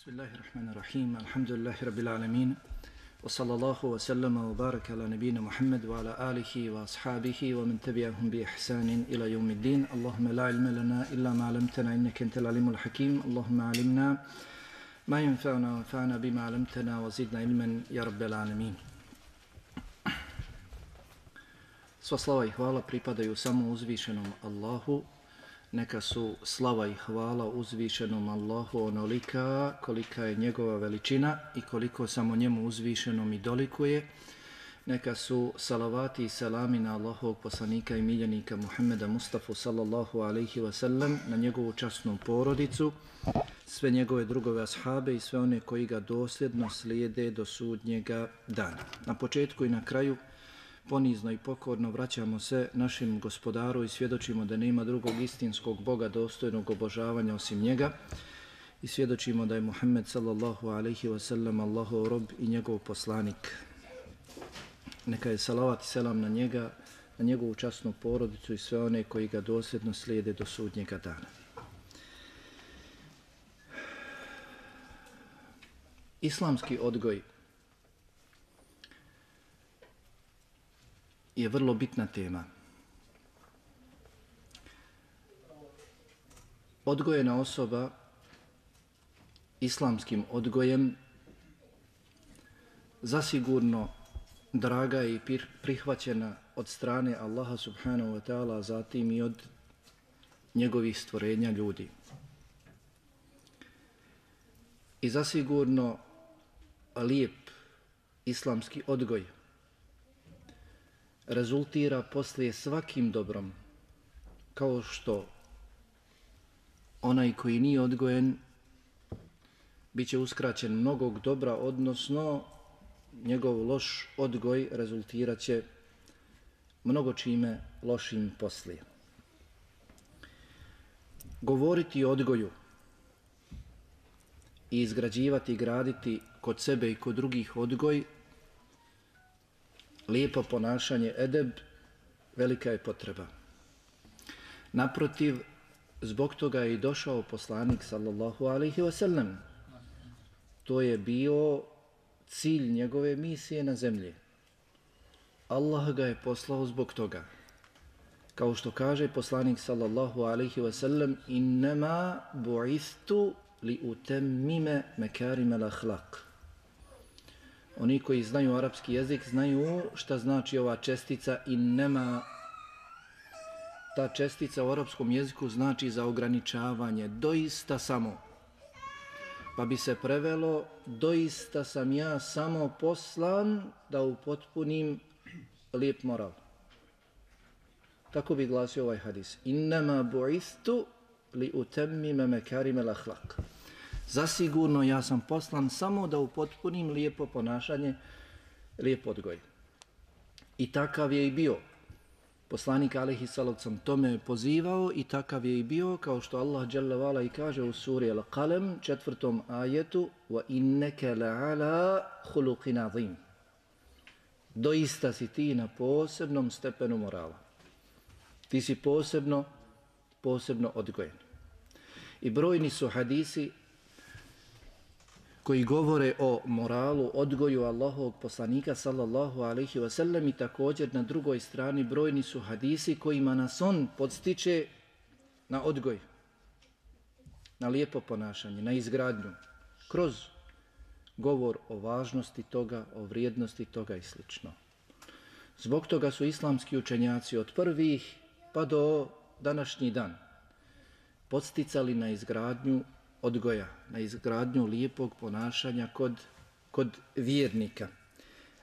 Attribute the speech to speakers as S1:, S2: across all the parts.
S1: Bismillahirrahmanirrahim. Alhamdulillahi rabbil alamin. Wa sallallahu wa sallama wa baraka ala nabina Muhammad wa ala alihi wa ashabihi wa man tabi'ahum bi ihsanin ila yawmiddin. Allahumma la ilma lana illa ma 'allamtana innaka antal alimul hakim. Allahumma 'allimna ma yanfa'una wanfa'na bima 'allamtana wa zidna ilman ya rabbal alamin. Sva slava i hvala pripadaju samo uzvišenom Allahu. Neka su slava i hvala uzvišenom Allahu onolika kolika je njegova veličina i koliko samo njemu uzvišenom i dolikuje. Neka su salavati i selami na Allahovog poslanika i miljenika Muhammeda Mustafa sallallahu alaihi wa sallam, na njegovu časnu porodicu, sve njegove drugove ashabe i sve one koji ga dosljedno slijede do sudnjega dana. Na početku i na kraju ponizno i pokorno vraćamo se našem gospodaru i svjedočimo da nema drugog istinskog Boga dostojnog obožavanja osim njega i svjedočimo da je Muhammed sallallahu alaihi wa sallam Allahov rob i njegov poslanik. Neka je salavat i selam na njega, na njegovu časnu porodicu i sve one koji ga dosljedno slijede do sudnjega dana. Islamski odgoj je vrlo bitna tema. Odgojena osoba islamskim odgojem zasigurno draga je i prihvaćena od strane Allaha subhanahu wa ta'ala, zatim i od njegovih stvorenja ljudi. I zasigurno lijep islamski odgoj rezultira poslije svakim dobrom, kao što onaj koji nije odgojen bit će uskraćen mnogog dobra, odnosno njegov loš odgoj rezultirat će mnogo čime lošim poslije. Govoriti o odgoju i izgrađivati i graditi kod sebe i kod drugih odgoj, lijepo ponašanje, edeb, velika je potreba. Naprotiv, zbog toga je i došao poslanik sallallahu alaihi wa sallam. To je bio cilj njegove misije na zemlji. Allah ga je poslao zbog toga. Kao što kaže poslanik sallallahu alaihi wa sallam, innama bu'ithtu li utemmime mekarimel ahlak. Oni koji znaju arapski jezik znaju šta znači ova čestica innema. Ta čestica u arapskom jeziku znači za ograničavanje, doista samo. Pa bi se prevelo, doista sam ja samo poslan da upotpunim lijep moral. Tako bi glasio ovaj hadis. Innema bu'ithtu li utemmime mekarimel ahlak. Zasigurno ja sam poslan samo da upotpunim lijepo ponašanje, lijep odgoj. I takav je i bio. Poslanik alejhi salatu vesselam tome je pozivao i takav je i bio, kao što Allah dželle vala i kaže u suri Al-Qalam 4. ajetu: "Wa innaka la'ala khuluqin azim." Doista si ti na posebnom stepenu morala. Ti si posebno odgojen. I brojni su hadisi koji govore o moralu, odgoju Allahovog poslanika sallallahu alaihi wa sallam, i također na drugoj strani brojni su hadisi kojima nas on podstiče na odgoj, na lijepo ponašanje, na izgradnju, kroz govor o važnosti toga, o vrijednosti toga i sl. Zbog toga su islamski učenjaci od prvih pa do današnji dan podsticali na izgradnju odgoja, na izgradnju lijepog ponašanja kod vjernika.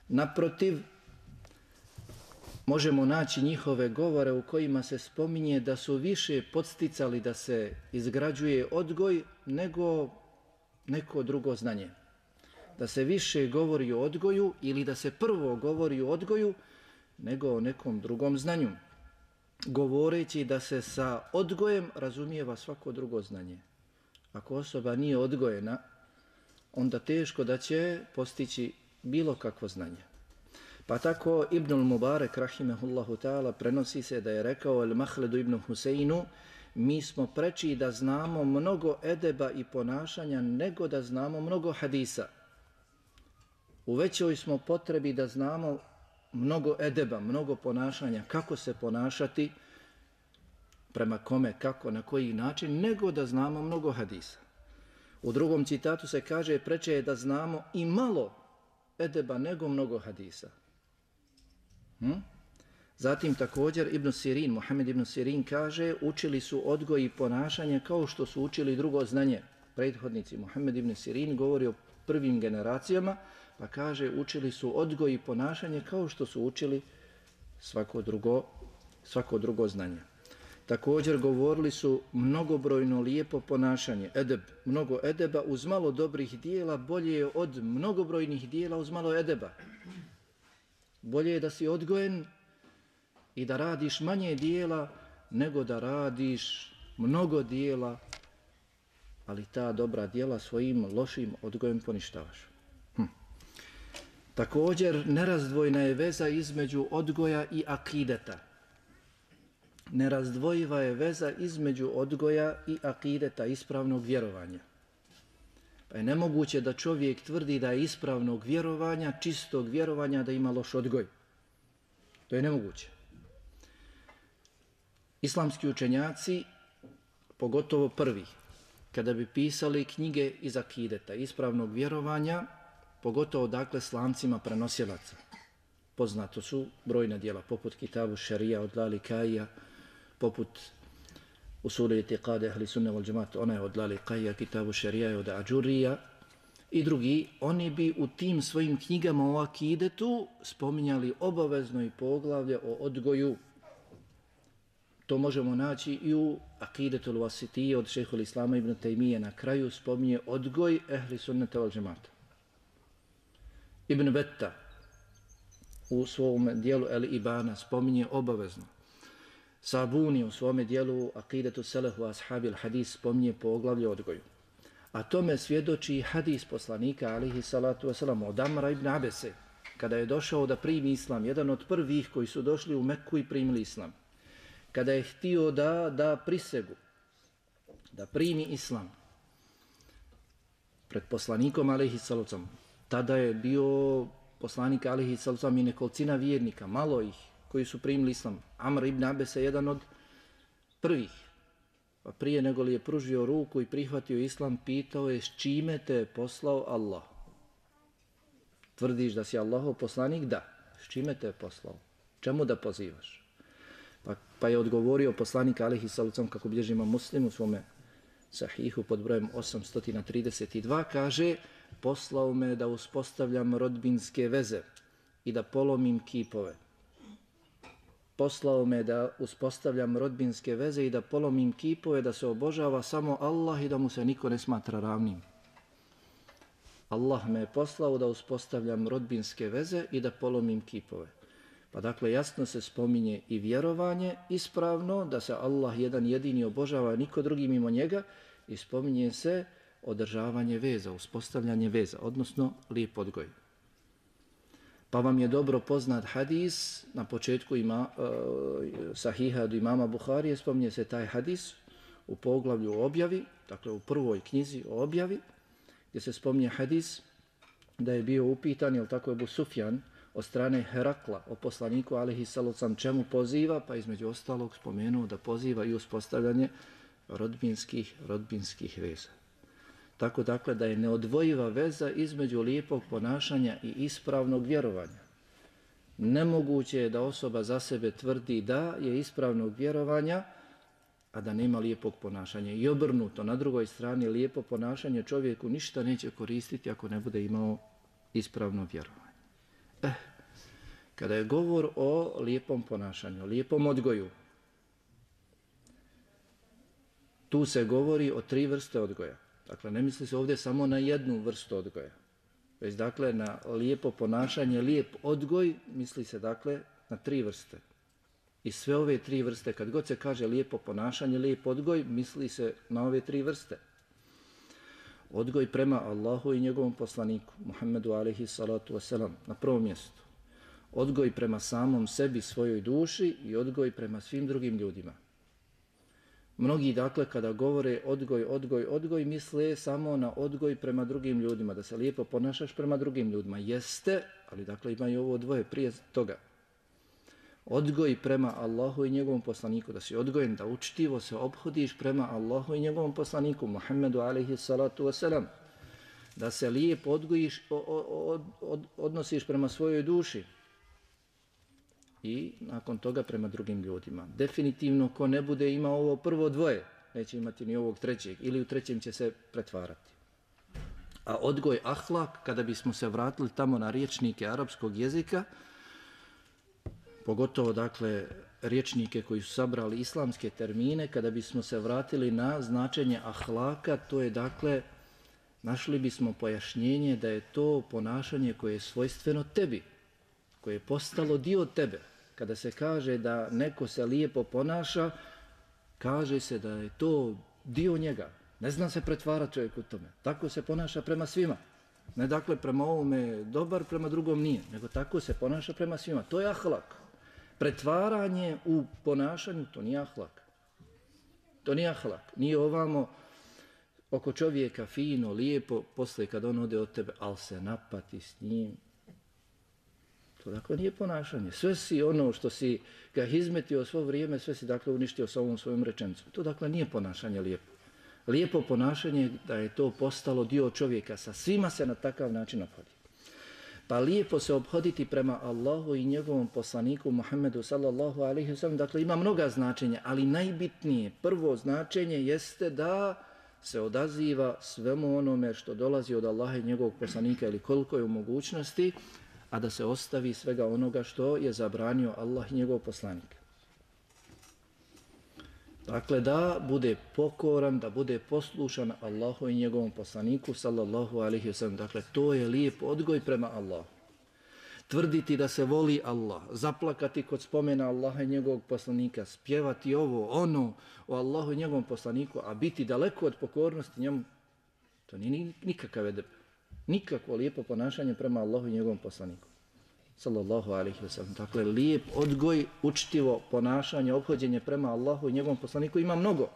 S1: Naprotiv, možemo naći njihove govore u kojima se spominje da su više podsticali da se izgrađuje odgoj nego neko drugo znanje. Da se više govori o odgoju ili da se prvo govori o odgoju nego o nekom drugom znanju, govoreći da se sa odgojem razumijeva svako drugo znanje. Ako osoba nije odgojena, onda teško da će postići bilo kakvo znanje. Pa tako Ibnul Mubarak rahimehullahu ta'ala prenosi se da je rekao Al-Mahledu ibn Huseinu: mi smo preči da znamo mnogo edeba i ponašanja nego da znamo mnogo hadisa. U većoj smo potrebi da znamo mnogo edeba, mnogo ponašanja, kako se ponašati, prema kome, kako, na koji način, nego da znamo mnogo hadisa. U drugom citatu se kaže preče je da znamo i malo edeba nego mnogo hadisa. Zatim također Ibn Sirin, Muhammed Ibn Sirin kaže učili su odgoj i ponašanje kao što su učili drugo znanje. Prethodnici Muhammed Ibn Sirin govori o prvim generacijama, pa kaže učili su odgoj i ponašanje kao što su učili svako drugo znanje. Također govorili su mnogobrojno lijepo ponašanje, edeb, mnogo edeba uz malo dobrih dijela bolje je od mnogobrojnih dijela uz malo edeba. Bolje je da si odgojen i da radiš manje dijela nego da radiš mnogo dijela, ali ta dobra dijela svojim lošim odgojem poništavaš. Također nerazdvojna je veza između odgoja i akideta. Nerazdvojiva je veza između odgoja i akideta, ispravnog vjerovanja. Pa je nemoguće da čovjek tvrdi da je ispravnog vjerovanja, čistog vjerovanja, da ima loš odgoj. To je nemoguće. Islamski učenjaci, pogotovo prvi, kada bi pisali knjige iz akideta, ispravnog vjerovanja, pogotovo dakle s lancima prenosilaca. Poznato su brojna djela, poput Kitabu Šarija od Lalikaija, poput Usuli itiqade ahli sunne wal džemat, ona je od Lalikaija, Kitabu Šarija je od Ađurija i drugi, oni bi u tim svojim knjigama o akidetu spominjali obavezno i poglavlje o odgoju. To možemo naći i u Akidetul Wasitije od Šejhul Islama ibn Tejmije, na kraju spominje odgoj ehli sunneta wal džemata. Ibn Betta u svom dijelu El Ibana spominje obavezno. Sabuni u svom dijelu Akidetu Selehu Ashabi al-Hadis spominje poglavlje odgoju. A tome svjedoči hadis poslanika alihi salatu wasalam od Amra ibn Abese, kada je došao da primi islam, jedan od prvih koji su došli u Mekku i primili islam. Kada je htio da prisegu, da primi islam pred poslanikom alihi salatu wasalam, tada je bio poslanik alihi salatu wasalam i nekolicina vjernika, malo ih koji su primili islam. Amr ibn Abese je jedan od prvih. Pa prije nego li je pružio ruku i prihvatio islam, pitao je s čime te je poslao Allah. Tvrdiš da si Allahov poslanik? Da. S čime te je poslao? Čemu da pozivaš? Pa je odgovorio poslanik alihi sallam, kako bilježi Imam Muslim u svome sahihu pod brojem 832, kaže poslao me da uspostavljam rodbinske veze i da polomim kipove. Poslao me da uspostavljam rodbinske veze i da polomim kipove, da se obožava samo Allah i da mu se niko ne smatra ravnim. Allah me je poslao da uspostavljam rodbinske veze i da polomim kipove. Pa dakle jasno se spominje i vjerovanje ispravno, da se Allah jedan jedini obožava, niko drugi mimo njega, i spominje se održavanje veza, uspostavljanje veza, odnosno lijep odgoj. Pa vam je dobro poznat hadis, na početku sahiha od imama Buharije, spominje se taj hadis u poglavlju o objavi, dakle u prvoj knjizi o objavi, gdje se spominje hadis da je bio upitan, jel tako je Ebu Sufjan, od strane Herakla o poslaniku alihi sallam poziva, pa između ostalog spomenuo da poziva i uspostavljanje rodbinskih veza. Tako dakle da je neodvojiva veza između lijepog ponašanja i ispravnog vjerovanja. Nemoguće je da osoba za sebe tvrdi da je ispravnog vjerovanja, a da nema lijepog ponašanja. I obrnuto, na drugoj strani lijepo ponašanje čovjeku ništa neće koristiti ako ne bude imao ispravno vjerovanje. Kada je govor o lijepom ponašanju, o lijepom odgoju, tu se govori o 3 vrste odgoja. Dakle, ne misli se ovdje samo na jednu vrstu odgoja, već dakle na lijepo ponašanje, lijep odgoj, misli se dakle na 3 vrste. I sve ove 3 vrste, kad god se kaže lijepo ponašanje, lijep odgoj, misli se na ove 3 vrste. Odgoj prema Allahu i njegovom poslaniku, Muhammedu alaihi salatu wasalam, na prvom mjestu. Odgoj prema samom sebi, svojoj duši i odgoj prema svim drugim ljudima. Mnogi, dakle, kada govore odgoj, misle samo na odgoj prema drugim ljudima, da se lijepo ponašaš prema drugim ljudima. Jeste, ali dakle ima i ovo dvoje prije toga. Odgoj prema Allahu i njegovom poslaniku, da si odgojen, da učtivo se ophodiš prema Allahu i njegovom poslaniku, Muhammedu alejhi salatu wasalam. Da se lijepo odnosiš prema svojoj duši i nakon toga prema drugim ljudima. Definitivno ko ne bude imao ovo prvo dvoje, neće imati ni ovog trećeg ili u trećem će se pretvarati. A odgoj ahlak, kada bismo se vratili tamo na rječnike arapskog jezika, pogotovo dakle rječnike koji su sabrali islamske termine, kada bismo se vratili na značenje ahlaka, to je dakle, našli bismo pojašnjenje da je to ponašanje koje je svojstveno tebi, koje je postalo dio tebe. Kada se kaže da neko se lijepo ponaša, kaže se da je to dio njega. Ne zna se pretvarati čovjek u tome. Tako se ponaša prema svima. Ne dakle prema ovome dobar, prema drugom nije, nego tako se ponaša prema svima. To je ahlak. Pretvaranje u ponašanju, to nije ahlak. To nije ahlak. Nije ovamo oko čovjeka fino, lijepo, posle kad on ode od tebe, ali se napati s njim. To dakle nije ponašanje. Sve si ono što si ga izmetio svo vrijeme, sve si dakle uništio sa ovom svojom rečenicom. To dakle nije ponašanje lijepo. Lijepo ponašanje da je to postalo dio čovjeka. Sa svima se na takav način ophodi. Pa lijepo se obhoditi prema Allahu i njegovom poslaniku Muhammedu sallallahu alejhi ve sellem. Dakle ima mnoga značenja, ali najbitnije, prvo značenje jeste da se odaziva svemu onome što dolazi od Allaha i njegovog poslanika ili koliko je u mogućnosti, a da se ostavi svega onoga što je zabranio Allah i njegov poslanik. Dakle, da bude pokoran, da bude poslušan Allahu i njegovom poslaniku, sallallahu alejhi ve sellem. Dakle, to je lijep odgoj prema Allahu. Tvrditi da se voli Allah, zaplakati kod spomena Allaha i njegovog poslanika, spjevati ovo, ono o Allahu i njegovom poslaniku, a biti daleko od pokornosti njemu, to nije nikakav edeb. Nikakvo lijepo ponašanje prema Allahu i njegovom poslaniku. Sallallahu alejhi ve sellem. Dakle, lijep odgoj, učtivo ponašanje, ophođenje prema Allahu i njegovom poslaniku ima mnogo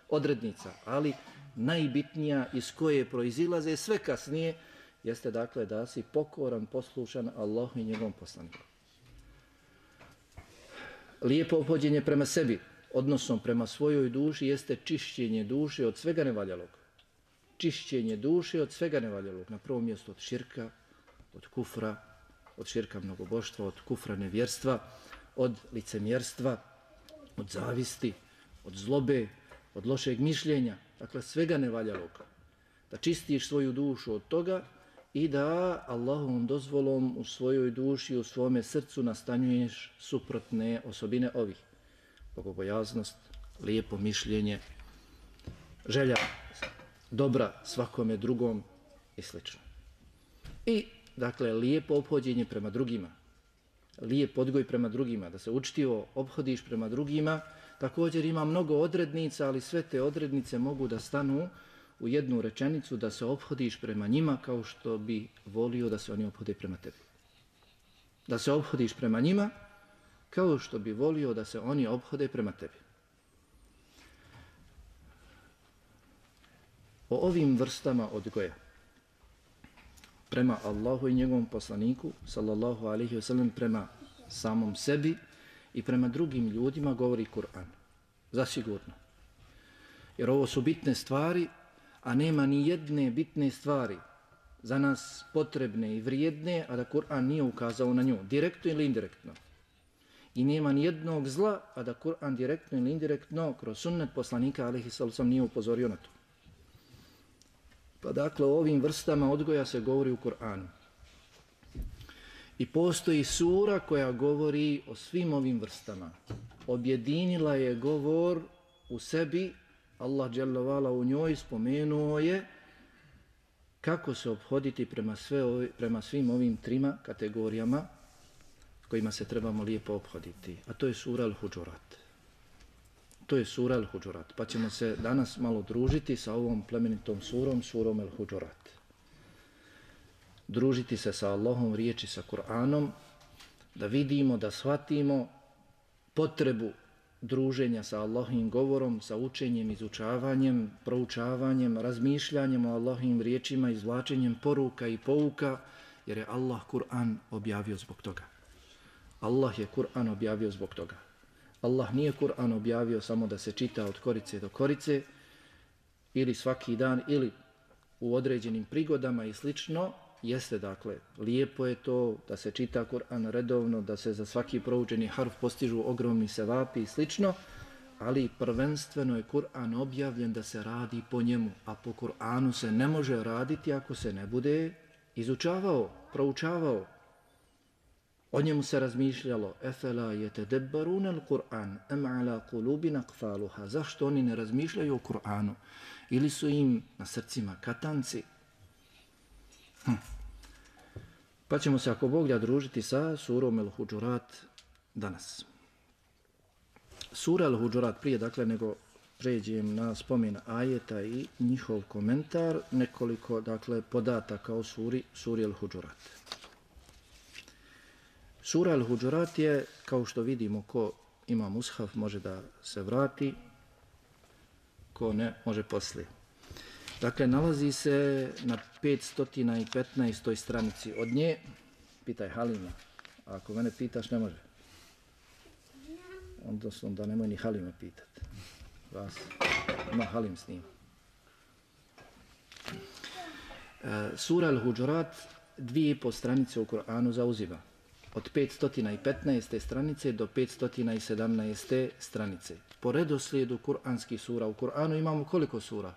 S1: odrednica, ali najbitnija iz koje proizilaze sve kasnije jeste dakle da si pokoran, poslušan Allahu i njegovom poslaniku. Lijepo ophođenje prema sebi, odnosom prema svojoj duši, jeste čišćenje duše od svega nevaljalog. Čišćenje duše od svega nevaljalog. Na prvom mjestu od širka, od kufra, od širka mnogoboštva, od kufra nevjerstva, od licemjerstva, od zavisti, od zlobe, od lošeg mišljenja. Dakle, svega nevaljalog. Da čistiš svoju dušu od toga i da Allahovom dozvolom u svojoj duši, u svome srcu nastanjuješ suprotne osobine ovih. Bogobojaznost, lijepo mišljenje, želja dobra svakome drugom i sl. I, dakle, lijepo ophođenje prema drugima, lijep odgoj prema drugima, da se učtivo ophodiš prema drugima. Također ima mnogo odrednica, ali sve te odrednice mogu da stanu u jednu rečenicu, da se ophodiš prema njima kao što bi volio da se oni ophode prema tebi. Da se ophodiš prema njima kao što bi volio da se oni ophode prema tebi. O ovim vrstama odgoja prema Allahu i njegovom poslaniku, sallallahu alejhi ve sellem, prema samom sebi i prema drugim ljudima govori Kur'an. Zasigurno. Jer ovo su bitne stvari, a nema ni jedne bitne stvari za nas potrebne i vrijedne, a da Kur'an nije ukazao na nju, direktno ili indirektno. I nema ni jednog zla, a da Kur'an direktno ili indirektno kroz sunnet poslanika alejhi sallam nije upozorio na to. Pa dakle, o ovim vrstama odgoja se govori u Kur'anu. I postoji sura koja govori o svim ovim vrstama. Objedinila je govor u sebi, Allah dželle vala u njoj spomenuo je kako se ophoditi prema svim ovim trima kategorijama kojima se trebamo lijepo ophoditi. A to je sura Al-Huđurat. To je sura Al-Huđurat. Pa ćemo se danas malo družiti sa ovom plemenitom surom, surom Al-Huđurat. Družiti se sa Allahom riječi, sa Kur'anom, da vidimo, da shvatimo potrebu druženja sa Allahovim govorom, sa učenjem, izučavanjem, proučavanjem, razmišljanjem o Allahovim riječima, izvlačenjem poruka i pouka, jer je Allah Kur'an objavio zbog toga. Allah je Kur'an objavio zbog toga. Allah nije Kur'an objavio samo da se čita od korice do korice, ili svaki dan, ili u određenim prigodama i slično. Jeste, dakle, lijepo je to da se čita Kur'an redovno, da se za svaki proučeni harf postižu ogromni sevapi i slično, ali prvenstveno je Kur'an objavljen da se radi po njemu, a po Kur'anu se ne može raditi ako se ne bude izučavao, proučavao. O njemu se razmišljalo, efela yetedebbarun al-Kur'an, am ala qulubin aqfaluha. Zašto oni ne razmišljaju o Kur'anu? Ili su im na srcima katanci? Pa ćemo se, ako Bog da, družiti sa surom Al-Huđurat danas. Sura Al-Huđurat, prije dakle nego pređem na spomen ajeta i njihov komentar, nekoliko dakle podataka o suri Al-Huđurat. Sura Al-Huđurat je, kao što vidimo, ko ima mushaf može da se vrati, ko ne može poslije. Dakle, nalazi se na 515. stranici od nje. Pitaj Halima. A ako mene pitaš, ne može. Onda nemoj ni Halima pitati. Vas. Ima Halim s njim. Sura Al-Huđurat 2,5 stranice u Kur'anu zauzima. Od 515. stranice do 517. stranice. Po redoslijedu kuranskih sura. U Kur'anu imamo koliko sura?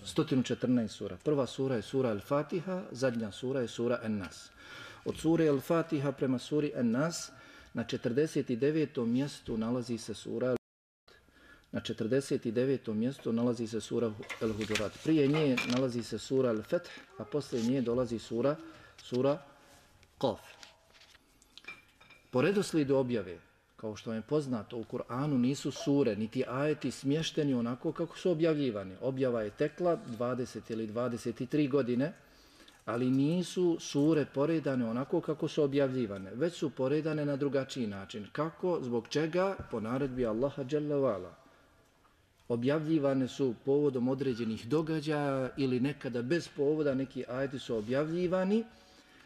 S1: 114 sura. Prva sura je sura Al-Fatiha, zadnja sura je sura An-Nas. Od sure Al-Fatiha prema suri An-Nas na 49. mjestu nalazi se sura Al-Huđurat. Na 49. mjestu nalazi se sura Al-Huđurat. Prije nje nalazi se sura Al-Fath, a poslije nje dolazi sura Qaf. Po redoslijedu objave, kao što je poznato, u Kur'anu nisu sure, niti ajeti smješteni onako kako su objavljivani. Objava je tekla 20 ili 23 godine, ali nisu sure poredane onako kako su objavljivane, već su poredane na drugačiji način. Kako? Zbog čega? Po naredbi Allaha Jalla Vala. Objavljivane su povodom određenih događaja ili nekada bez povoda neki ajeti su objavljivani,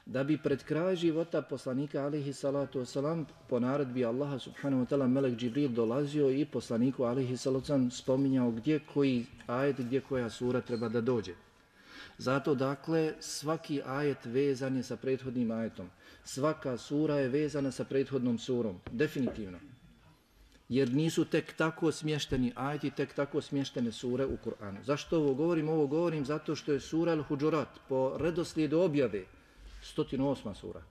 S1: da bi pred kraj života poslanika alejhi salatu wasalam po naredbi Allaha subhanahu wa ta'ala melek Džibril dolazio i poslaniku alejhi salatu wasalam spominjao gdje koji ajet, gdje koja sura treba da dođe. Zato dakle svaki ajet vezan je sa prethodnim ajetom. Svaka sura je vezana sa prethodnom surom, definitivno. Jer nisu tek tako smješteni ajeti, tek tako smještene sure u Kur'anu. Zašto ovo govorim? Ovo govorim zato što je sura Al-Huđurat po redoslijedu objave 108. sura.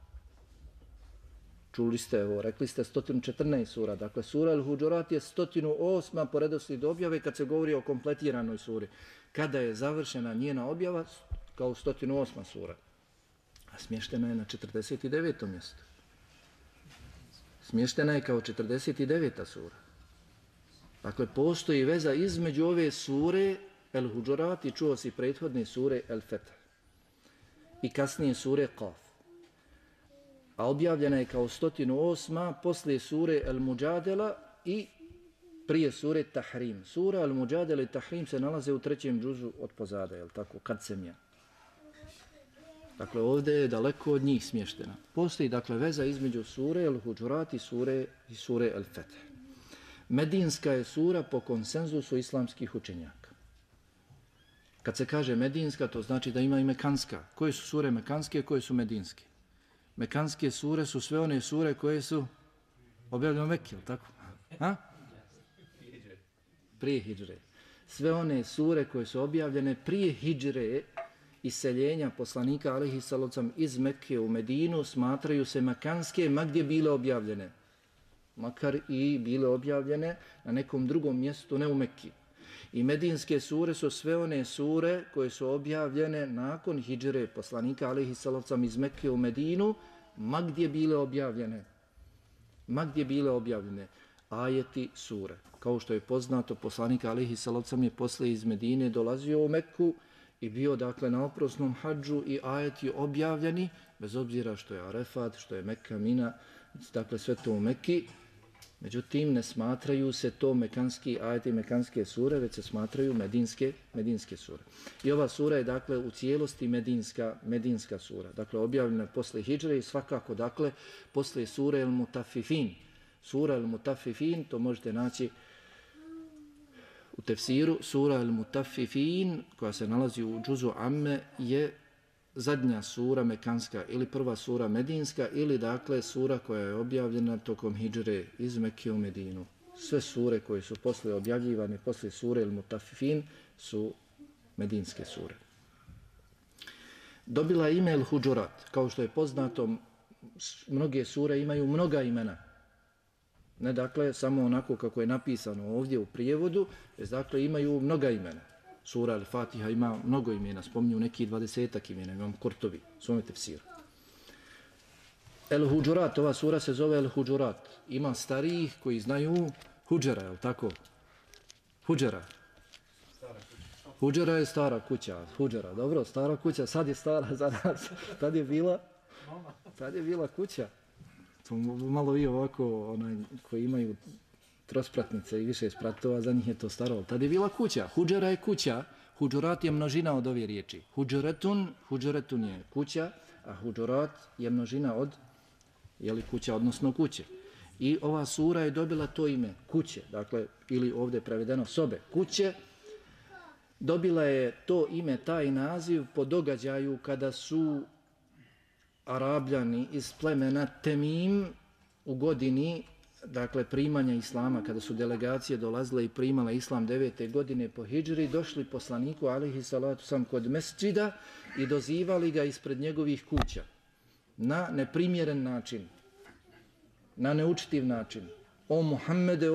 S1: Čuli ste ovo, rekli ste 114 sura. Dakle, sura Al-Huđurat je 108. po redoslijedu objave kad se govori o kompletiranoj suri. Kada je završena njena objava, kao 108. sura. A smještena je na 49. mjestu. Smještena je kao 49. sura. Dakle, postoji veza između ove sure Al-Huđurat i čuo si prethodne sure Al-Fath i kasnije sure Qaf. A objavljena je kao 108. poslije sure Al-Muđadela i prije sure Tahrim. Sura Al-Muđadela i Tahrim se nalaze u 3. džuzu od pozada, je li tako? Kad se mija. Dakle, ovdje je daleko od njih smještena. Postoji, dakle, veza između sure Al-Huđurat i sure Al-Fath. Medinska je sura po konsenzusu islamskih učenjaka. Kad se kaže medinska, to znači da ima i mekanska. Koje su sure mekanske, koje su medinske? Mekanske sure su sve one sure koje su objavljene u Mekki, ili tako? Ha? Prije hidžre. Sve one sure koje su objavljene prije hidžre, iseljenja poslanika alejhi salatu vesselam iz Mekke u Medinu, smatraju se mekanske, ma gdje bile objavljene. Makar i bile objavljene na nekom drugom mjestu, ne u Mekki. I medinske sure su sve one sure koje su objavljene nakon hidžre poslanika alejhi salatu vesselam iz Mekke u Medinu, ma gdje bile objavljene. Ma gdje bile objavljene ajeti sure. Kao što je poznato, poslanik alejhi salatu vesselam je posle iz Medine dolazio u Mekku i bio dakle na oprosnom hadžu i ajeti objavljeni, bez obzira što je Arefat, što je Mekka, Mina, dakle sve to u Mekki, Međutim, ne smatraju se to mekanski ajeti, mekanske sure, već se smatraju medinske sure. I ova sura je, dakle, u cijelosti medinska sura. Dakle, objavljena posle hidžre i svakako, dakle, posle sure El Mutafifin. Sura El Mutafifin, to možete naći u tefsiru. Sura El Mutafifin, koja se nalazi u džuzu Amme, je zadnja sura mekanska ili prva sura medinska ili dakle sura koja je objavljena tokom hidžre iz Mekke u Medinu. Sve sure koje su posle objavljivane, posle sure El Mutafifin su medinske sure. Dobila je ime El Huđurat. Kao što je poznato, mnoge sure imaju mnoga imena. Ne dakle samo onako kako je napisano ovdje u prijevodu, već dakle imaju mnoga imena. Sura Al-Fatiha ima mnogo imena, spominju neki 20-ak imena, imam Kurtobi, svome tefsiru. El-Huđurat, ova sura se zove El-Huđurat. Ima starijih koji znaju Huđera, je li tako? Huđera. Huđera je stara kuća, Huđera, dobro, stara kuća, sad je stara za nas. Tad je bila kuća. To malo vi ovako, koji imaju trospratnice i više spratova, za njih je to staro. Tad je bila kuća. Huđera je kuća. Huđurat je množina od ove riječi. Huđuretun je kuća, a huđurat je množina od kuća, odnosno kuće. I ova sura je dobila to ime, kuće, dakle, ili ovdje prevedeno sobe, kuće. Dobila je to ime, taj naziv, po događaju kada su Arabljani iz plemena Temim u godini, dakle, primanja islama, kada su delegacije dolazile i primale islam 9. godine po hidžri, došli poslaniku, alejhi salatu sam, kod mesdžida i dozivali ga ispred njegovih kuća na neprimjeren način, na neučitiv način. O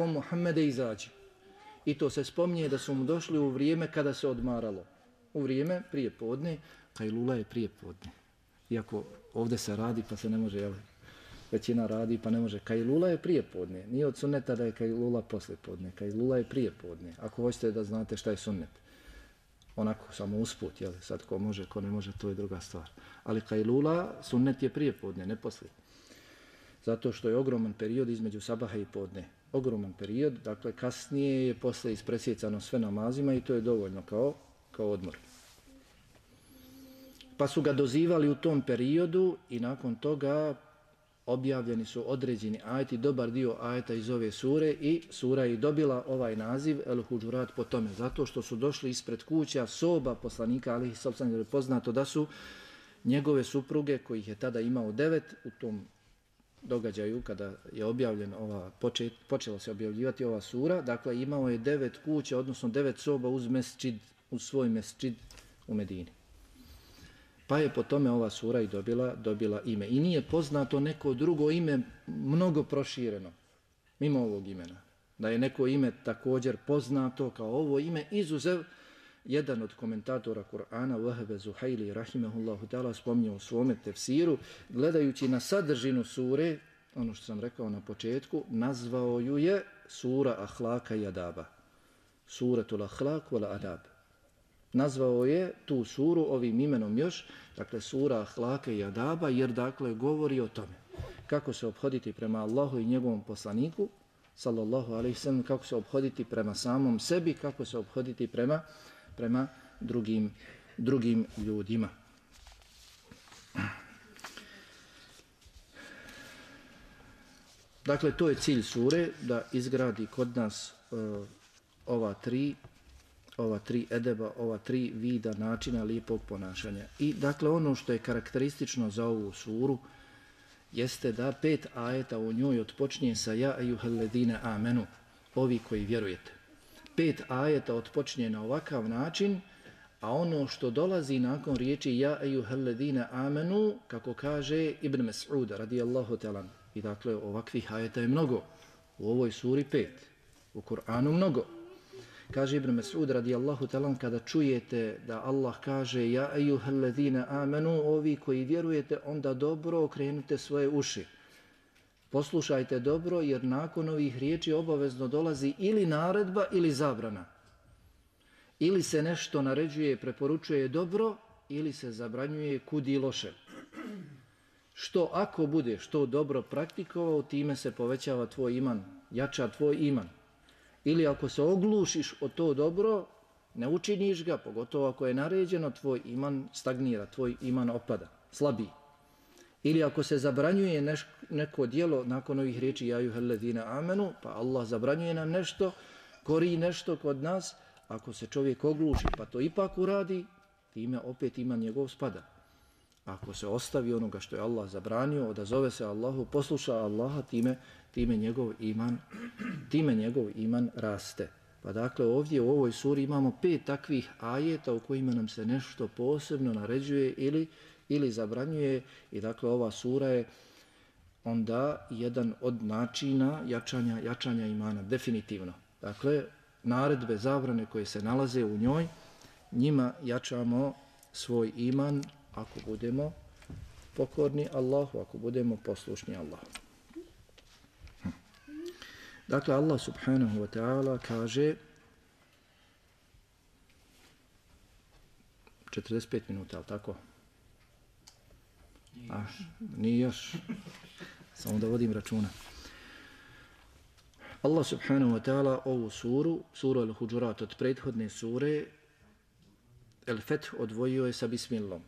S1: Muhammede, izađi. I to se spominje da su mu došli u vrijeme kada se odmaralo. U vrijeme prije podne, kajlula je prije podne. Iako ovdje se radi pa se ne može, većina radi pa ne može. Kajlula je prije podne. Nije od sunneta da je kajlula posle podne. Kajlula je prije podne. Ako hoćete da znate šta je sunnet. Onako, samo usput, sad ko može, ko ne može, to je druga stvar. Ali kajlula, sunnet je prije podne, ne posle. Zato što je ogroman period između sabaha i podne. Ogroman period, dakle kasnije je posle ispresjecano sve namazima i to je dovoljno kao odmor. Pa su ga dozivali u tom periodu i nakon toga objavljeni su određeni ajeti, dobar dio ajeta iz ove sure i sura je dobila ovaj naziv El Huđurat po tome, zato što su došli ispred kuća soba poslanika, ali je poznato da su njegove supruge, kojih je tada imao 9, u tom događaju kada je objavljen počela se objavljivati ova sura, dakle imao je 9 kuća, odnosno 9 soba uz svoj mesdžid u Medini. Pa je po tome ova sura i dobila ime. I nije poznato neko drugo ime mnogo prošireno, mimo ovog imena. Da je neko ime također poznato kao ovo ime, izuzev jedan od komentatora Kur'ana, Wahbe Zuhajli, rahimahullahu ta'ala, spominjao u svome tefsiru, gledajući na sadržinu sure, ono što sam rekao na početku, nazvao ju je sura Ahlaka i Adaba. Suratul Ahlak wal Adab. Nazvao je tu suru ovim imenom još, dakle sura Ahlaka i Adaba, jer dakle govori o tome kako se ophoditi prema Allahu i njegovom poslaniku, sallallahu alejhi ve sellem, kako se ophoditi prema samom sebi, kako se ophoditi prema drugim ljudima. Dakle, to je cilj sure, da izgradi kod nas ova tri edeba, ova tri vida načina lijepog ponašanja. I dakle, ono što je karakteristično za ovu suru jeste da 5 ajeta u njoj otpočinje sa ja ejuhalledine amenu, ovi koji vjerujete. 5 ajeta otpočinje na ovakav način, a ono što dolazi nakon riječi ja ejuhalledine amenu, kako kaže Ibn Mas'ud radijallahu ta'ala. I dakle, ovakvih ajeta je mnogo. U ovoj suri 5. U Kur'anu mnogo. Kaže Ibn Mas'ud radijallahu ta'ala, kada čujete da Allah kaže ja ejuhalledine amenu, ovi koji vjerujete, onda dobro okrenute svoje uši. Poslušajte dobro, jer nakon ovih riječi obavezno dolazi ili naredba ili zabrana. Ili se nešto naređuje, preporučuje dobro, ili se zabranjuje kudi loše. Što ako budeš to dobro praktikovao, time se povećava tvoj iman, jača tvoj iman. Ili ako se oglušiš o to dobro, ne učiniš ga, pogotovo ako je naređeno, tvoj iman stagnira, tvoj iman opada, slabiji. Ili ako se zabranjuje neko djelo nakon ovih riječi ja ayyuhallazina amanu, pa Allah zabranjuje nam nešto, kori nešto kod nas, ako se čovjek ogluši pa to ipak uradi, time opet iman njegov spada. Ako se ostavi onoga što je Allah zabranio, odazove se Allahu, posluša Allaha, time njegov iman raste. Pa dakle ovdje u ovoj suri imamo 5 takvih ajeta u kojima nam se nešto posebno naređuje ili zabranjuje i dakle ova sura je onda jedan od načina jačanja imana, definitivno. Dakle, naredbe, zabrane koje se nalaze u njoj, njima jačamo svoj iman ako budemo pokorni Allahu, ako budemo poslušni Allahu. Dakle, Allah subhanahu wa ta'ala kaže 45 minuta, ali tako? Nije još. Samo da vodim računa. Allah subhanahu wa ta'ala ovu suru Al-Huđurat od prethodne sure El-Feth odvojio je sa Bismillom.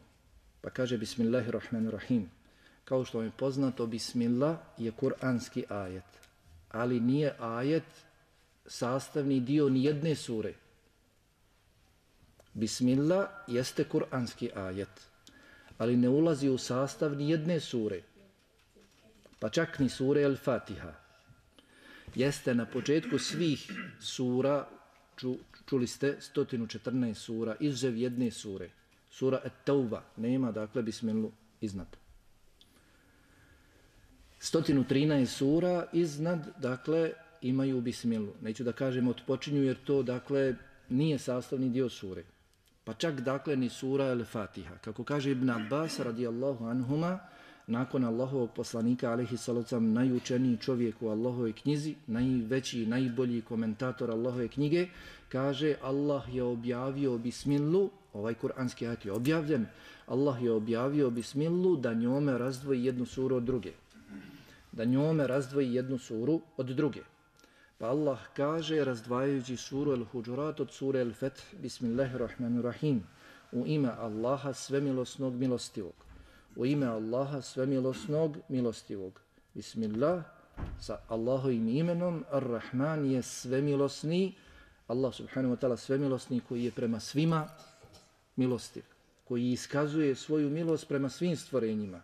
S1: Pa kaže Bismillahirrahmanirrahim. Kao što vam je poznato, Bismillah je kuranski ajet. Ali nije ajet sastavni dio nijedne sure. Bismillah jeste kuranski ajet, ali ne ulazi u sastav nijedne sure, pa čak ni sure Al-Fatiha. Jeste na početku svih sura, čuli ste 114 sura, izuzev jedne sure, sura At-Tauba, nema dakle Bismillu iznad. 113 sura iznad, dakle, imaju Bismillu. Neću da kažem otpočinju jer to, dakle, nije sastavni dio sure. Pa čak, dakle, ni sura Al-Fatiha. Kako kaže Ibn Abbas, radijallahu anhuma, nakon Allahovog poslanika, alejhi salatu vesselam, najučeniji čovjek u Allahovoj knjizi, najveći, najbolji komentator Allahove knjige, kaže Allah je objavio Bismillu, ovaj kuranski ajet je objavljen, Allah je objavio Bismillu da njome razdvoji jednu suru od druge. Da njome razdvoji jednu suru od druge. Pa Allah kaže, razdvajajući suru Al-Huđurat od sure Al-Feth, Bismillahirrahmanirrahim, u ime Allaha svemilosnog milostivog. U ime Allaha svemilosnog milostivog. Bismillah, sa Allahovim imenom, Ar-Rahman je svemilosni, Allah subhanahu wa ta'ala svemilosni koji je prema svima milostiv, koji iskazuje svoju milost prema svim stvorenjima,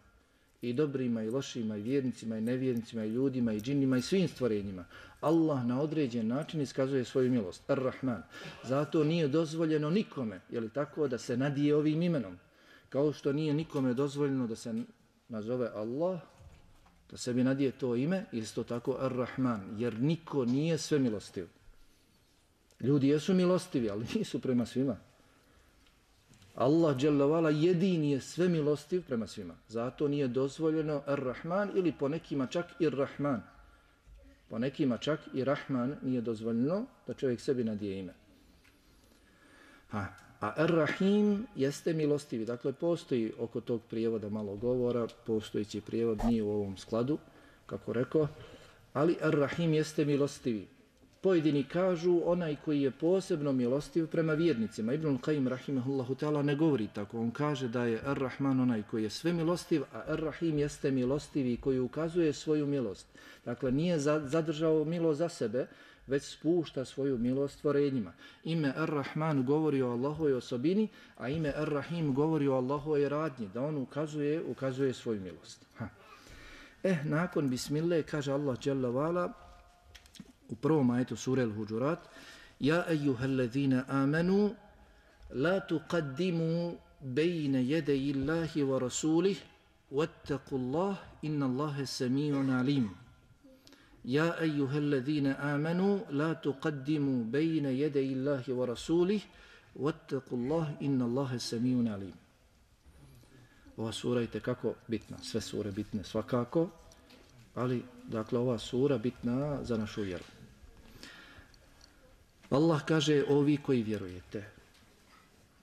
S1: i dobrima, i lošima, i vjernicima, i nevjernicima, i ljudima, i džinnima, i svim stvorenjima. Allah na određen način iskazuje svoju milost. Ar-Rahman. Zato nije dozvoljeno nikome, je li tako, da se nadije ovim imenom. Kao što nije nikome dozvoljeno da se nazove Allah, da sebi nadije to ime, isto tako Ar-Rahman, jer niko nije sve milostiv. Ljudi jesu milostivi, ali nisu prema svima. Allah dželle vala jedini je sve milostiv prema svima. Zato nije dozvoljeno Ar-Rahman ili po nekima čak i Rahman. Po nekima čak i Rahman nije dozvoljeno da čovjek sebi nadije ime. A Ar-Rahim jeste milostivi. Dakle, postoji oko tog prijevoda malo govora, postojići prijevod nije u ovom skladu, kako rekao, ali Ar-Rahim jeste milostivi. Pojedini kažu onaj koji je posebno milostiv prema vjernicima. Ibn Qayyim rahimahullahu ta'ala ne govori tako. On kaže da je Ar-Rahman onaj koji je sve milostiv, a Ar-Rahim jeste milostivi koji ukazuje svoju milost. Dakle, nije zadržao milost za sebe, već spušta svoju milost stvorenjima. Ime Ar-Rahman govori o Allahovoj osobini, a ime Ar-Rahim govori o Allahovoj radnji, da on ukazuje svoju milost. Nakon Bismillah kaže Allah dželle vala u prvom ajetu sure Al-Huđurat: Ja ejuhallazina amanu la tuqaddimu bejne jedeji Allahi wa rasulih wattaqullah inna Allahe sami'un alim. Ja ejuhallazina amanu la tuqaddimu bejne jedeji Allahi wa rasulih wattaqullah inna Allahe sami'un alim. Ova sura je tekako bitna, sve sure bitne svakako, ali dakle ova sura bitna za našu vjeru. Allah kaže ovi koji vjerujete,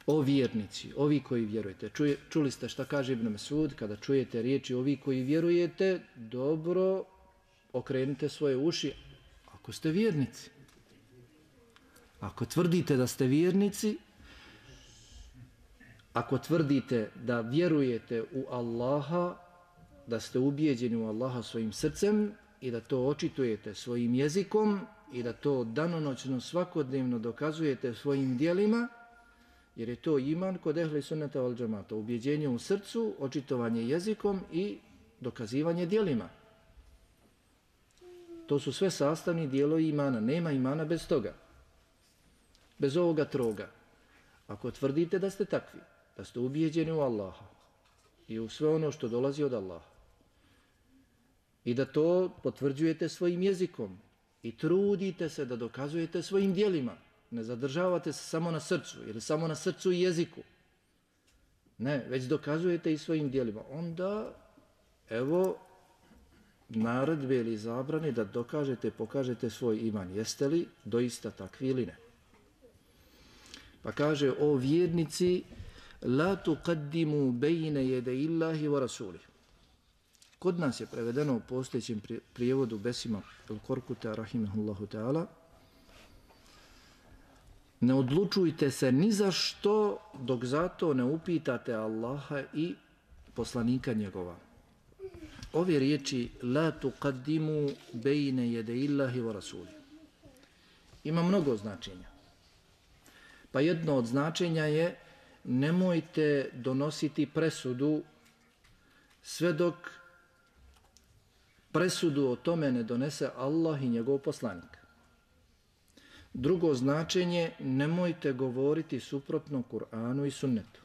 S1: o vjernici, ovi koji vjerujete. Čuli ste šta kaže Ibn Mesud, kada čujete riječi ovi koji vjerujete, dobro okrenite svoje uši, Ako ste vjernici. Ako tvrdite da ste vjernici, ako tvrdite da vjerujete u Allaha, da ste ubijeđeni u Allaha svojim srcem i da to očitujete svojim jezikom i da to danonoćno svakodnevno dokazujete svojim djelima, jer je to iman kod ehli sunneta val džemata, ubijeđenje u srcu, očitovanje jezikom i dokazivanje djelima. To su sve sastavni dijelovi imana, nema imana bez toga. Bez ovoga troga. Ako tvrdite da ste takvi, da ste ubijeđeni u Allaha i u sve ono što dolazi od Allaha i da to potvrđujete svojim jezikom i trudite se da dokazujete svojim djelima, ne zadržavate se samo na srcu ili samo na srcu i jeziku, ne, već dokazujete i svojim djelima, onda evo naredbe ili zabrane da dokažete, pokažete svoj iman. Jeste li doista takvi ili ne? Pa kaže, o vjernici, la tuqaddimu bejne jede illahi wa rasulih. Kod nas je prevedeno u postojećem prijevodu Besima el-Korkuta, rahimahullahu ta'ala, ne odlučujte se ni za što dok zato ne upitate Allaha i poslanika njegova. Ove riječi, la tuqaddimu bejne jede illahi wa rasulih, ima mnogo značenja. Pa jedno od značenja je nemojte donositi presudu sve dok presudu o tome ne donese Allah i njegov poslanik. Drugo značenje, nemojte govoriti suprotno Kur'anu i sunnetu.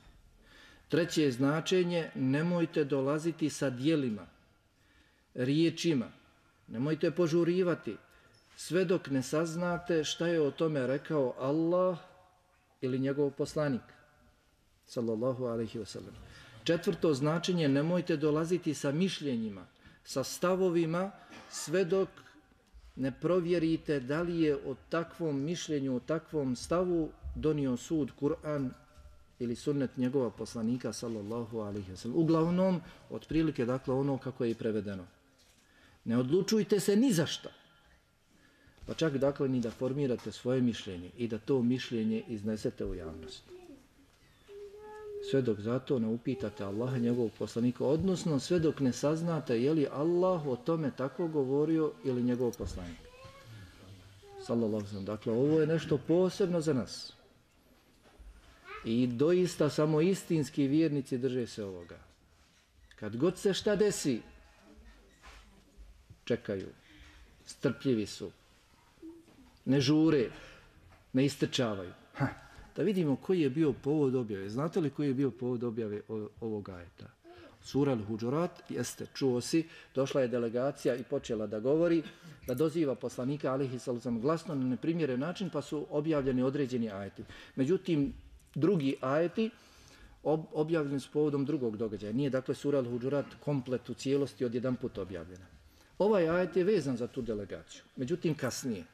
S1: Treće značenje, nemojte dolaziti sa djelima, riječima, nemojte požurivati sve dok ne saznate šta je o tome rekao Allah ili njegov poslanik, sallallahu alaihi wa sallam. Četvrto značenje, nemojte dolaziti sa mišljenjima, sa stavovima, sve dok ne provjerite da li je o takvom mišljenju, o takvom stavu donio sud Kur'an ili sunnet njegova poslanika, sallallahu alaihi wa sallam. Uglavnom, otprilike, dakle, ono kako je i prevedeno. Ne odlučujte se ni za šta. Pa čak, dakle, ni da formirate svoje mišljenje i da to mišljenje iznesete u javnost. Sve dok zato ne upitate Allaha njegovog poslanika, odnosno sve dok ne saznate je li Allah o tome tako govorio ili njegov poslanik. Sallallahu alejhi ve sellem. Dakle, ovo je nešto posebno za nas. I doista samo istinski vjernici drže se ovoga. Kad god se šta desi, čekaju, strpljivi su, ne žure, ne istrčavaju. Da vidimo koji je bio povod objave. Znate li koji je bio povod objave ovog ajeta? Sura Al-Huđurat, jeste, čuo si, došla je delegacija i počela da govori, da doziva poslanika alejhi sallam glasno na neprimjeren način, pa su objavljeni određeni ajeti. Međutim, drugi ajeti objavljeni su povodom drugog događaja. Nije, dakle, sura Al-Huđurat komplet u cijelosti odjedan put objavljena. Ovaj ajet je vezan za tu delegaciju. Međutim, kasnije.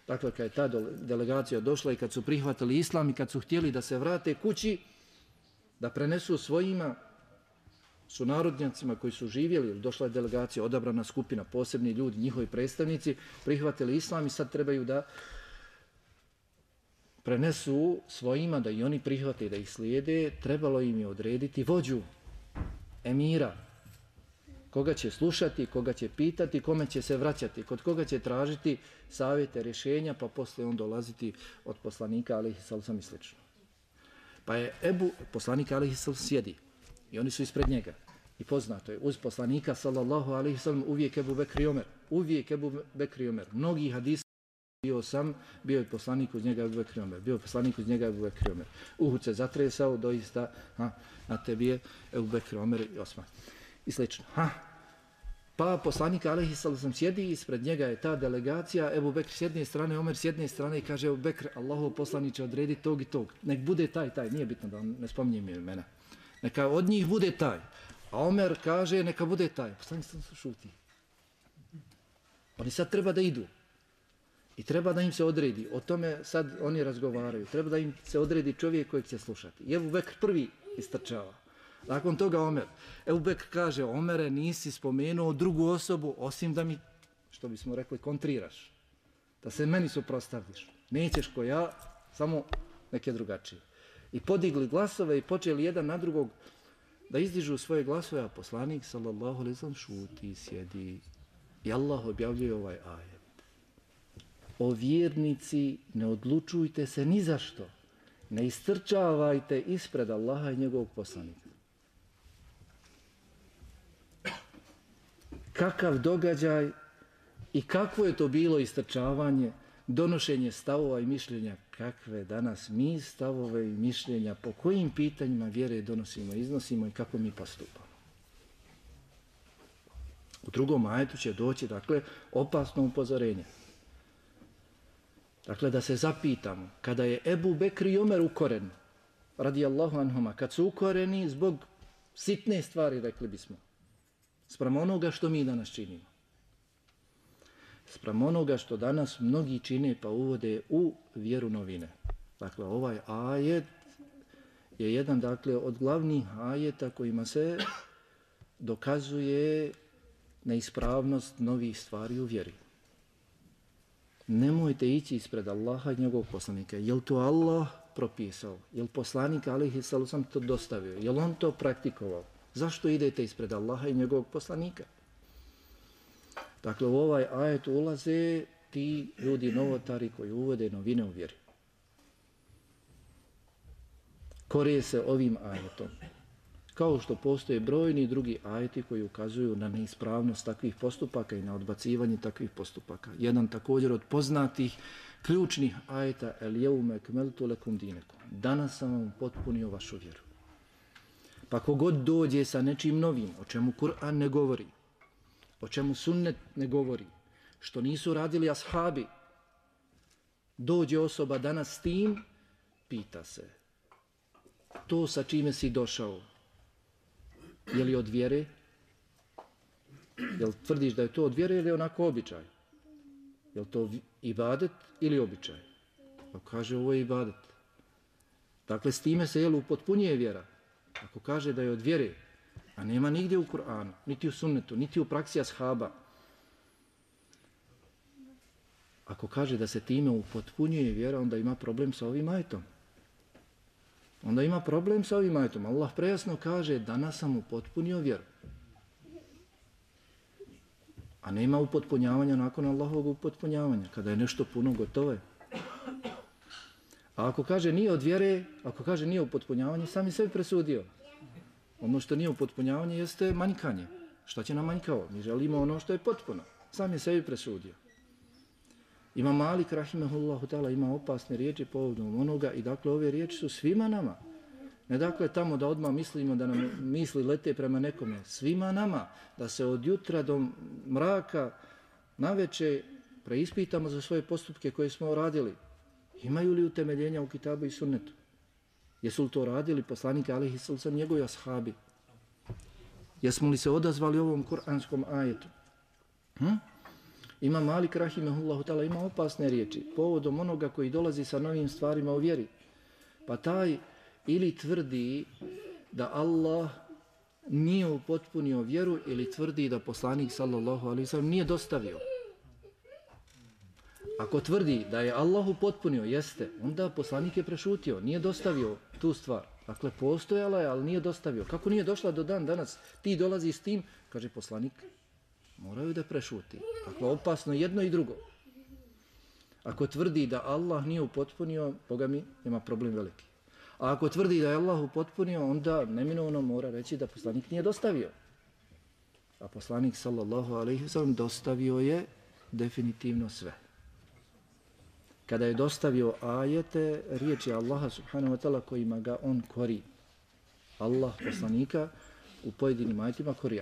S1: Dakle, kad je ta delegacija došla i kad su prihvatili islam i kad su htjeli da se vrate kući, da prenesu svojima sunarodnjacima koji su živjeli, došla je delegacija, odabrana skupina, posebni ljudi, njihovi predstavnici, prihvatili islam i sad trebaju da prenesu svojima, da i oni prihvate i da ih slijede, trebalo im je odrediti vođu, emira, koga će slušati, koga će pitati, kome će se vraćati, kod koga će tražiti savjete, rješenja, pa posle on dolaziti od poslanika alejhi sallam i slično. Pa je poslanik alejhi sallam sjedi i oni su ispred njega. I poznato je, uz poslanika sallallahu alejhi sallam uvijek Ebu Bekr i Omer. Uvijek Ebu Bekr i Omer. Mnogi hadisi bio je poslanik uz njega Ebu Bekr i Omer. Bio je poslanik uz njega Ebu Bekr i Omer. Uhud se zatresao, doista na tebi je Ebu Bekr i Omer i Osman. I slično. Pa poslanik alejhi sallam sjedi, ispred njega je ta delegacija, Ebu Bekr s jedne strane, Omer s jedne strane i kaže Ebu Bekr, Allahov poslaniče, odredi tog i tog. Nek bude taj, nije bitno da ne spominjem imena. Neka od njih bude taj. A Omer kaže neka bude taj. Poslanik sallam šuti. Oni sad treba da idu. I treba da im se odredi. O tome sad oni razgovaraju. Treba da im se odredi čovjek kojeg će slušati. I Ebu Bekr prvi istrčava. Nakon toga Omer. Ebu Bekr kaže, Omere, nisi spomenuo drugu osobu, osim da mi, što bismo rekli, kontriraš. da se meni suprotstaviš. Nećeš ko ja, samo neke drugačije. I podigli glasove i počeli jedan na drugog da izdižu svoje glasove, a poslanik sallallahu alejhi ve sellem šuti, sjedi. I Allah objavljuje ovaj ajet. O vjernici, ne odlučujte se ni za što. Ne istrčavajte ispred Allaha i njegovog poslanika. Kakav događaj i kakvo je to bilo istrčavanje, donošenje stavova i mišljenja, kakve danas mi stavove i mišljenja, po kojim pitanjima vjere donosimo, iznosimo i kako mi postupamo. U drugom ajetu će doći, dakle, opasno upozorenje. Dakle, da se zapitamo, kada je Ebu Bekr i Omer ukoreni, radijallahu anhuma, kad su ukoreni zbog sitne stvari, rekli bismo, spram onoga što mi danas činimo. Spram onoga što danas mnogi čine pa uvode u vjeru novine. Dakle, ovaj ajet je jedan, dakle, od glavnih ajeta kojima se dokazuje neispravnost novih stvari u vjeri. Nemojte ići ispred Allaha i njegovog poslanika. Je li to Allah propisao? Je li poslanik alejhi selam to dostavio? Je li on to praktikovao? Zašto idete ispred Allaha i njegovog poslanika? Dakle, u ovaj ajet ulaze ti ljudi novotari koji uvode novine u vjeri. Korije se ovim ajetom. Kao što postoje brojni drugi ajeti koji ukazuju na neispravnost takvih postupaka i na odbacivanje takvih postupaka. Jedan također od poznatih ključnih ajeta El jeume ekmeltu lekum dinekum. Danas sam vam potpunio vašu vjeru. Pa kogod dođe sa nečim novim, o čemu Kur'an ne govori, o čemu sunnet ne govori, što nisu radili ashabi, dođe osoba danas s tim, pita se, to sa čime si došao, je li od vjere? Jel tvrdiš da je to od vjere ili onako običaj? Je li to ibadet ili običaj? Pa kaže, ovo je ibadet. Dakle, s time se upotpunjuje vjera. Ako kaže da je od vjere, a nema nigdje u Kur'anu, niti u sunnetu, niti u praksi ashaba. Ako kaže da se time upotpunjuje vjera, onda ima problem sa ovim ajetom. Onda ima problem sa ovim ajetom. Allah prejasno kaže, danas sam upotpunio vjeru. A nema upotpunjavanja nakon Allahovog upotpunjavanja. Kada je nešto puno, gotovo je. A ako kaže nije od vjere, ako kaže nije upotpunjavanje, sam je sebi presudio. Ono što nije upotpunjavanje jeste manjkanje. Šta će nam manjkao? Mi želimo ono što je potpuno. Sam je sebi presudio. Ima Malik, rahimehullahu ta'ala, ima opasne riječi povodom onoga i dakle ove riječi su svima nama. Ne dakle tamo da odmah mislimo da nam misli lete prema nekome. Svima nama da se od jutra do mraka naveče preispitamo za svoje postupke koje smo radili. Imaju li utemeljenja u kitabu i sunnetu? Jesu li to radili poslanika alejhi selam njegovi ashabi? Jesmo li se odazvali ovom kuranskom ajetu? Ima Malik rahimehullahu ta'ala, ima opasne riječi povodom onoga koji dolazi sa novim stvarima u vjeri. Pa taj ili tvrdi da Allah nije upotpunio vjeru ili tvrdi da poslanik sallallahu alejhi ve sellem nije dostavio. Ako tvrdi da je Allah upotpunio, jeste, onda poslanik je prešutio, nije dostavio tu stvar. Dakle, postojala je, ali nije dostavio. Kako nije došla do dan danas? Ti dolazi s tim, kaže poslanik, moraju da prešuti. Dakle, opasno jedno i drugo. Ako tvrdi da Allah nije upotpunio, Boga mi, ima problem veliki. A ako tvrdi da je Allah upotpunio, onda neminovno mora reći da poslanik nije dostavio. A poslanik sallallahu alejhi ve sellem dostavio je definitivno sve. Kada je dostavio ajete, riječi Allaha subhanahu wa ta'ala kojima ga on kori. Allah poslanika u pojedinim ajetima kori.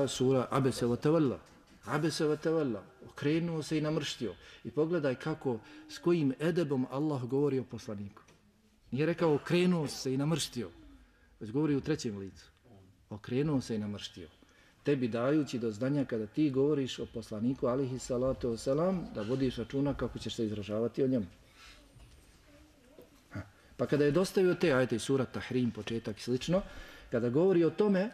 S1: Sura Abese wa Tawalla. Abese wa Tawalla. Okrenuo se i namrštio. I pogledaj kako, s kojim edebom Allah govori o poslaniku. Nije rekao okrenuo se i namrštio. Već govori u trećem licu. Okrenuo se i namrštio. Tebi dajući do znanja kada ti govoriš o poslaniku alihi salatu wasalam, da vodiš računa kako ćeš se izražavati o njemu. Pa kada je dostavio te ajete sura Tahrim, početak i slično, kada govori o tome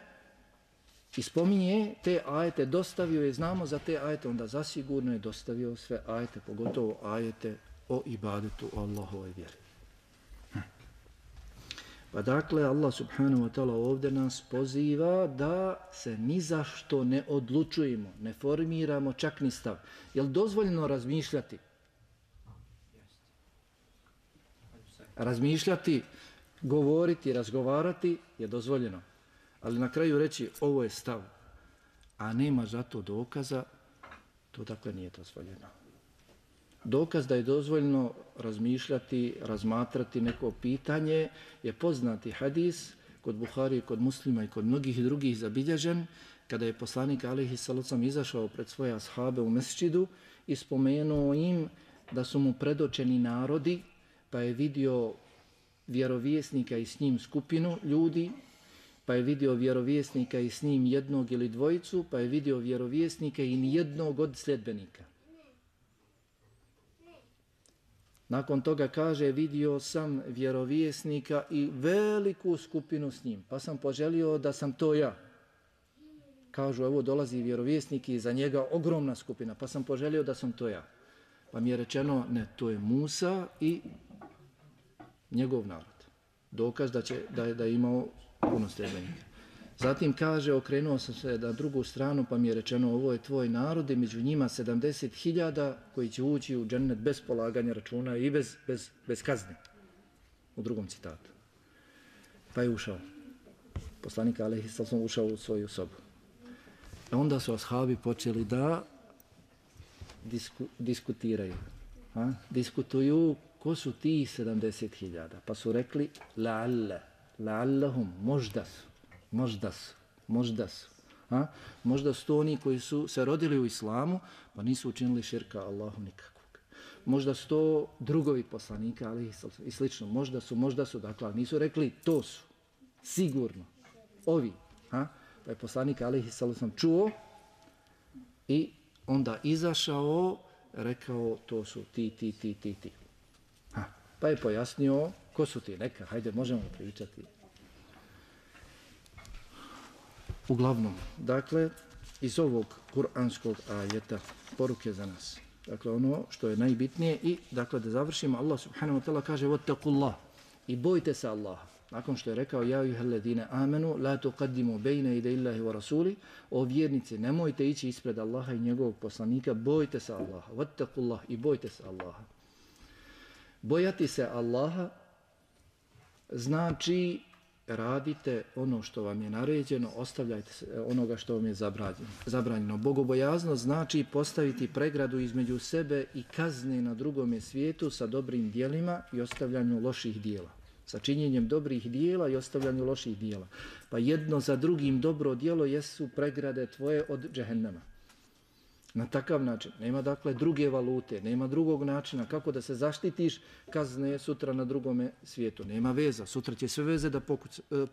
S1: I spominje te ajete, dostavio je, znamo za te ajete, onda zasigurno je dostavio sve ajete, pogotovo ajete o ibadetu, o Allahovoj vjeri. Pa dakle, Allah subhanahu wa ta'ala ovdje nas poziva da se ni za što ne odlučujemo, ne formiramo čak ni stav. Je li dozvoljeno razmišljati? Razmišljati, govoriti, razgovarati je dozvoljeno. Ali na kraju reći ovo je stav, a nema za to dokaza, to dakle nije dozvoljeno. Dokaz da je dozvoljeno razmišljati, razmatrati neko pitanje je poznati hadis kod Buhari, kod Muslima i kod mnogih drugih zabilježen, kada je poslanik alejhi salatu vesselam izašao pred svoje ashabe u mesdžidu i spomenuo im da su mu predočeni narodi, pa je vidio vjerovjesnika i s njim skupinu ljudi, pa je vidio vjerovjesnika i s njim jednog ili dvojicu, pa je vidio vjerovjesnika i nijednog od sljedbenika. Nakon toga kaže, vidio sam vjerovjesnika i veliku skupinu s njim, pa sam poželio da sam to ja. Kažu, evo dolazi vjerovjesnik i za njega ogromna skupina, pa sam poželio da sam to ja. Pa mi je rečeno, ne, to je Musa i njegov narod. Dokaz da je imao puno sljedbenika. Zatim kaže, okrenuo sam se na drugu stranu, pa mi je rečeno, ovo je tvoj narod i među njima 70.000 koji će ući u džennet bez polaganja računa i bez kazne. U drugom citatu. Pa je ušao. Poslanik alejhi salatu vesselam ušao u svoju sobu. Onda su ashabi počeli da diskutiraju. Diskutuju ko su ti 70.000. Pa su rekli, la'allahum, možda su. Možda su to oni koji su se rodili u islamu, pa nisu učinili širka Allahu nikakvog. Možda su to drugovi poslanika, ali i slično. Možda su, dakle, nisu rekli to su, sigurno, ovi. Pa je poslanik alejhi salatu vesselam čuo i onda izašao, rekao to su ti. Pa je pojasnio ko su ti, neka, hajde, možemo pričati. Uglavnom, dakle, iz ovog kuranskog ajeta poruke za nas. Dakle, ono što je najbitnije i, dakle, da završimo, Allah subhanahu wa ta'ala kaže wattaqullah i bojte se Allaha. Nakon što je rekao ja ayyuhalladhina amanu la tuqaddimu bayna yaday Allahi wa rasuli, o vjernici, nemojte ići ispred Allaha i njegovog poslanika, bojte se Allaha. Wattaqullah i bojte se Allaha. Bojati se Allaha znači radite ono što vam je naređeno, ostavljajte se onoga što vam je zabranjeno. Bogobojaznost znači postaviti pregradu između sebe i kazne na drugome svijetu sa dobrim dijelima i ostavljanju loših dijela. Sa činjenjem dobrih dijela i ostavljanju loših dijela. Pa jedno za drugim dobro dijelo jesu pregrade tvoje od džehennema. Na takav način. Nema dakle druge valute, nema drugog načina kako da se zaštitiš kazne sutra na drugome svijetu. Nema veza, sutra će sve veze da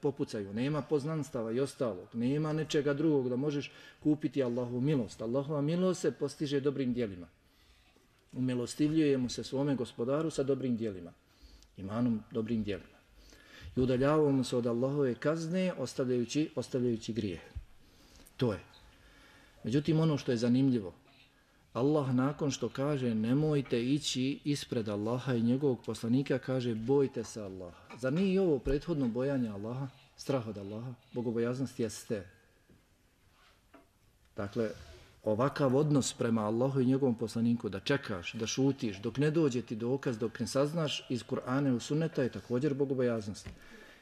S1: popucaju. Nema poznanstava i ostalog. Nema nečega drugog da možeš kupiti Allahovu milost. Allahova milost se postiže dobrim dijelima. Umilostivljujemo se svome gospodaru sa dobrim dijelima. Imanom dobrim dijelima. I udaljavamo se od Allahove kazne ostavljajući grijeh. To je. Međutim, ono što je zanimljivo, Allah nakon što kaže nemojte ići ispred Allaha i njegovog poslanika, kaže bojte se Allaha. Zar nije ovo prethodno bojanje Allaha, strah od Allaha, bogobojaznost jeste? Dakle, ovakav odnos prema Allahu i njegovom poslaniku, da čekaš, da šutiš, dok ne dođe ti dokaz, dok ne saznaš iz Kur'ana i Sunneta je također bogobojaznost.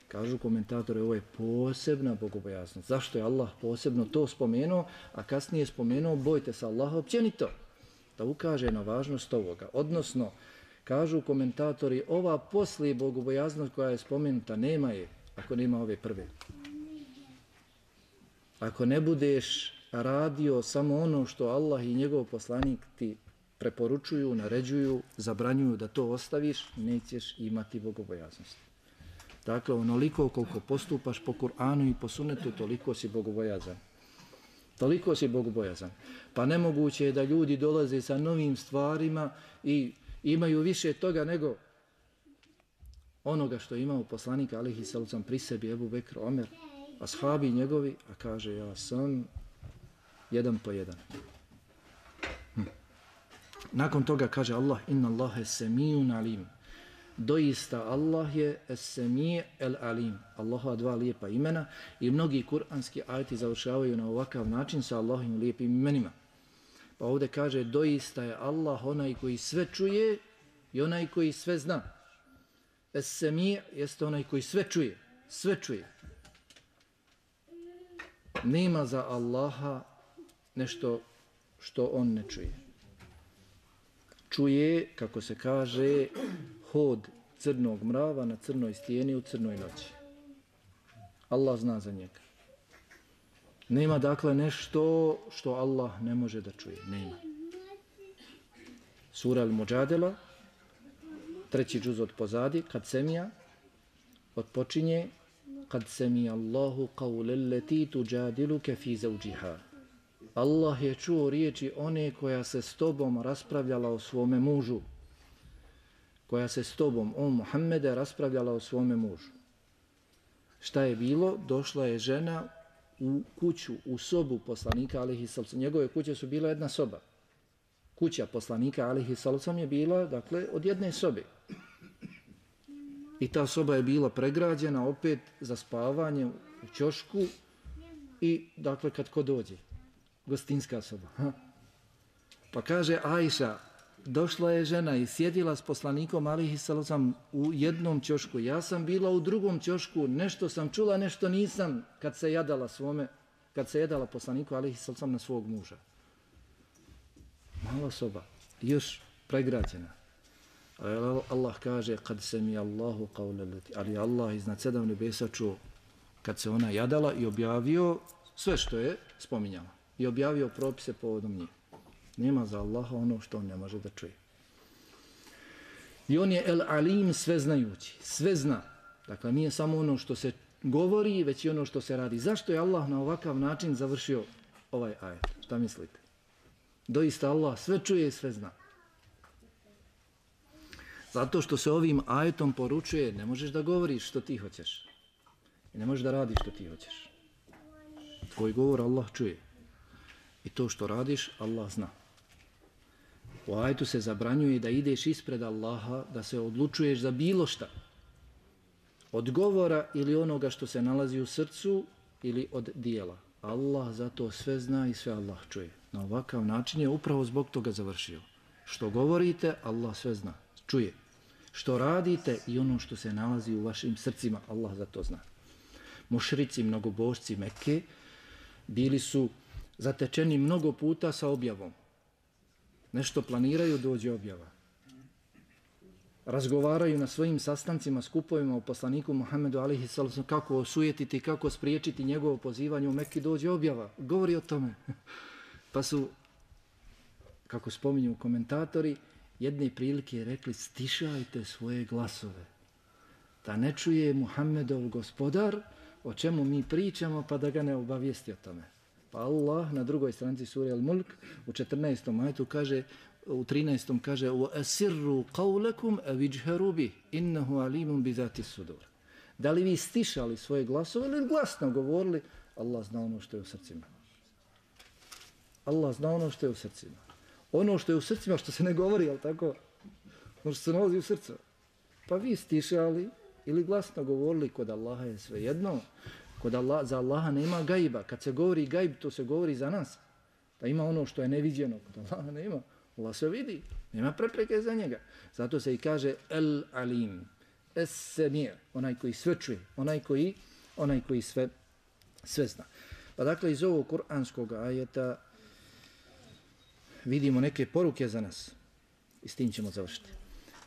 S1: Kažu komentatori, ovo je posebna bogobojaznost. Zašto je Allah posebno to spomenuo, a kasnije spomenuo bojte se Allaha općenito, da ukaže na važnost ovoga. Odnosno, kažu komentatori, ova poslije bogobojaznost koja je spomenuta, nema je, ako nema ove prve. Ako ne budeš radio samo ono što Allah i njegov poslanik ti preporučuju, naređuju, zabranjuju da to ostaviš, nećeš imati bogobojaznost. Dakle, onoliko koliko postupaš po Kur'anu i po sunnetu, toliko si bogobojazan. Toliko si bogobojazan. Pa nemoguće je da ljudi dolaze sa novim stvarima i imaju više toga nego onoga što je imao poslanik alejhi salatu vesselam pri sebi, Ebu Bekr, Omer, ashabi njegovi, a kaže ja sam jedan po jedan. Nakon toga kaže Allah, inna Allahe semijun alim. Doista Allah je es-semi' el-alim. Allahova dva lijepa imena i mnogi kuranski ajeti završavaju na ovakav način sa Allahovim lijepim imenima. Pa ovdje kaže doista je Allah onaj koji sve čuje i onaj koji sve zna. Es-semi' jeste onaj koji sve čuje. Sve čuje. Nema za Allaha nešto što on ne čuje. Čuje, kako se kaže, hod crnog mrava na crnoj stijeni u crnoj noći. Allah zna za njega. Nema dakle nešto što Allah ne može da čuje. Nema. Sura Al-Muđadela, 3. džuz od pozadi, kad semija, odpočinje, kad semija Allahu qawle leti tuđadiluke fi zawđiha. Allah je čuo riječi one koja se s tobom raspravljala o svome mužu. Koja se s tobom, o Muhammede, raspravljala o svome mužu. Šta je bilo? Došla je žena u kuću, u sobu poslanika alejhi sallam. Njegove kuće su bila jedna soba. Kuća poslanika alejhi sallam je bila, dakle, od jedne sobe. I ta soba je bila pregrađena opet za spavanje u ćošku i, dakle, kad ko dođe. Gostinska soba. Pa kaže Ajša, došla je žena i sjedila s poslanikom alejhi sallam u jednom ćošku. Ja sam bila u drugom ćošku, nešto sam čula, nešto nisam kad se jedala poslaniku alejhi sallam na svog muža. Mala soba, još pregrađena. Allah kaže, kad se mi Allahu qawle leti, ali Allah iznad 7 nebesa čuo kad se ona jadala i objavio sve što je spominjala. I objavio propise povodom njih. Nema za Allaha ono što on ne može da čuje. I on je el-alim, sveznajući. Sve zna. Dakle, nije samo ono što se govori, već i ono što se radi. Zašto je Allah na ovakav način završio ovaj ajet? Šta mislite? Doista Allah sve čuje i sve zna. Zato što se ovim ajetom poručuje, ne možeš da govoriš što ti hoćeš. I ne možeš da radiš što ti hoćeš. Tvoj govor Allah čuje. I to što radiš, Allah zna. U ajetu se zabranjuje da ideš ispred Allaha, da se odlučuješ za bilo šta. Od govora ili onoga što se nalazi u srcu ili od dijela. Allah zato sve zna i sve Allah čuje. Na ovakav način je upravo zbog toga završio. Što govorite, Allah sve zna, čuje. Što radite i ono što se nalazi u vašim srcima, Allah zato zna. Mušrici, mnogobožci Mekke bili su zatečeni mnogo puta sa objavom. Nešto planiraju, dođe objava. Razgovaraju na svojim sastancima, skupovima o poslaniku Muhammedu alejhi sallam kako osujetiti, kako spriječiti njegovo pozivanje u Mekki, dođe objava. Govori o tome. Pa su, kako spominju komentatori, jedne prilike rekli stišajte svoje glasove. Da ne čuje Muhammedov gospodar o čemu mi pričamo pa da ga ne obavijesti o tome. Pa Allah na drugoj stranici sure Al-Mulk u 14. ajetu kaže, u 13. kaže وَأَسِرُّوا قَوْلَكُمْ أَوِجْهَرُوا بِهِ إِنَّهُ عَلِيمٌ بِذَاتِ الصُّدُورِ. Da li vi stišali svoje glasove ili glasno govorili, Allah zna ono što je u srcima. Allah zna ono što je u srcima. Ono što je u srcima, što se ne govori, ali tako, ono što se nalazi u srcu. Pa vi stišali ili glasno govorili, kod Allaha je sve jedno. Kod za Allaha nema gajba. Kad se govori gajb, to se govori za nas. Da ima ono što je neviđeno. Kod Allaha nema. Allah se vidi. Nema prepreke za njega. Zato se i kaže el-alim. Es-semir. Onaj koji sve čuje. Onaj koji sve zna. Pa dakle, iz ovog kuranskog ajeta vidimo neke poruke za nas. I s tim ćemo završiti.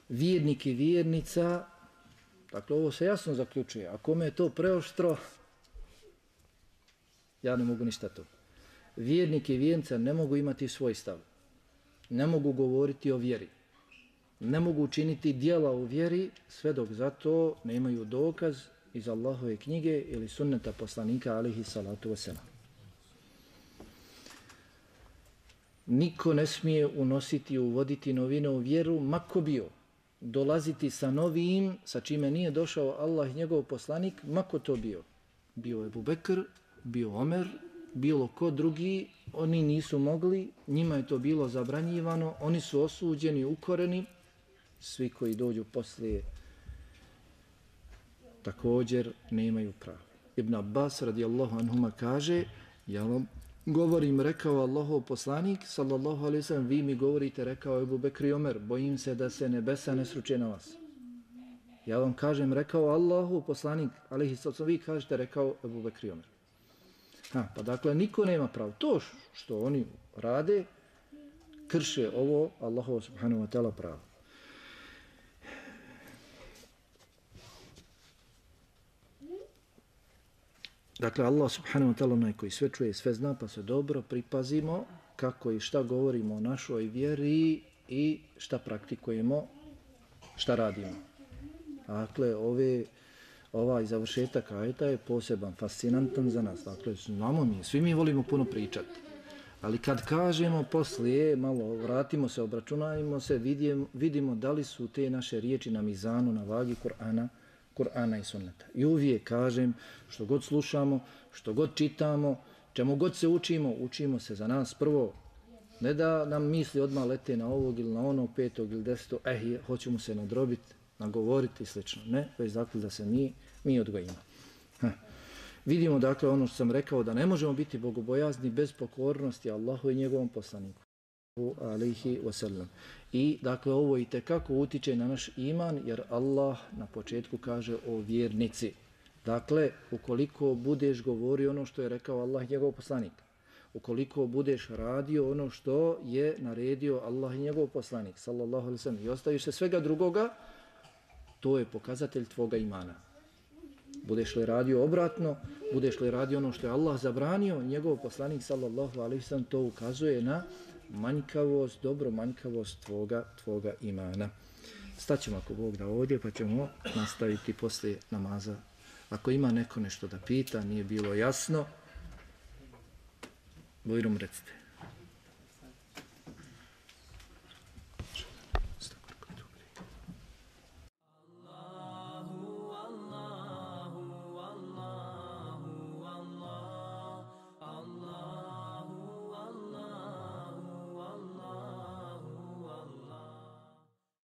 S1: Vjernik i vjernica, dakle, ovo se jasno zaključuje. A kome je to preoštro, ja ne mogu ništa to. Vjernik i vjernica ne mogu imati svoj stav. Ne mogu govoriti o vjeri. Ne mogu učiniti djela u vjeri, sve dok zato nemaju dokaz iz Allahove knjige ili sunneta poslanika alejhi salatu vesselam. Niko ne smije unositi, uvoditi novine u vjeru, mako bio. Dolaziti sa novim, sa čime nije došao Allah i njegov poslanik, mako to bio. bio Ebu Bekr, bio Omer, bilo ko drugi, oni nisu mogli, njima je to bilo zabranjivano, oni su osuđeni, ukoreni, svi koji dođu poslije također nemaju pravo. Ibn Abbas radijallahu anhuma kaže, ja vam govorim, rekao Allahov poslanik, sallallahu alaihi sallam, vi mi govorite, rekao Ebu Bekr i Omer, bojim se da se nebesa ne sruče na vas. Ja vam kažem, rekao Allahov poslanik, alaihi sallam, vi kažete, rekao Ebu Bekr i Omer. Pa dakle, niko nema pravo. To što oni rade, krše ovo Allahov subhanahu wa ta'ala pravo. Dakle, Allah subhanahu wa ta'ala onaj koji sve čuje, sve zna, pa se dobro pripazimo kako i šta govorimo o našoj vjeri i šta praktikujemo, šta radimo. Dakle, ovaj završetak ajeta je poseban, fascinantan za nas. Dakle, znamo mi, svi mi volimo puno pričati. Ali kad kažemo poslije, malo vratimo se, obračunajmo se, vidimo da li su te naše riječi na mizanu, na vagi Kur'ana i sunneta. I uvijek kažem, što god slušamo, što god čitamo, čemu god se učimo se za nas prvo. Ne da nam misli odmah lete na ovog ili na onog, 5. ili 10. Hoćemo se nadrobiti, nagovoriti i slično. Ne, već dakle da se mi odgojimo. Vidimo dakle ono što sam rekao, da ne možemo biti bogobojazni bez pokornosti Allahu i njegovom poslaniku. Alejhi wasallam. I dakle ovo i tekako utiče na naš iman, jer Allah na početku kaže o vjernici. Dakle, ukoliko budeš govorio ono što je rekao Allah i njegov poslanik, ukoliko budeš radio ono što je naredio Allah i njegov poslanik, sallallahu alejhi ve sellem, i ostaviš se svega drugoga, to je pokazatelj tvoga imana. Budeš li radio obratno, budeš li radio ono što je Allah zabranio, njegov poslanik, sallallahu alejhi ve sellem, to ukazuje na manjkavost, dobro manjkavost tvoga imana. Staćemo ako Bog da ovdje, pa ćemo nastaviti poslije namaza. Ako ima neko nešto da pita, nije bilo jasno, bojrom recite.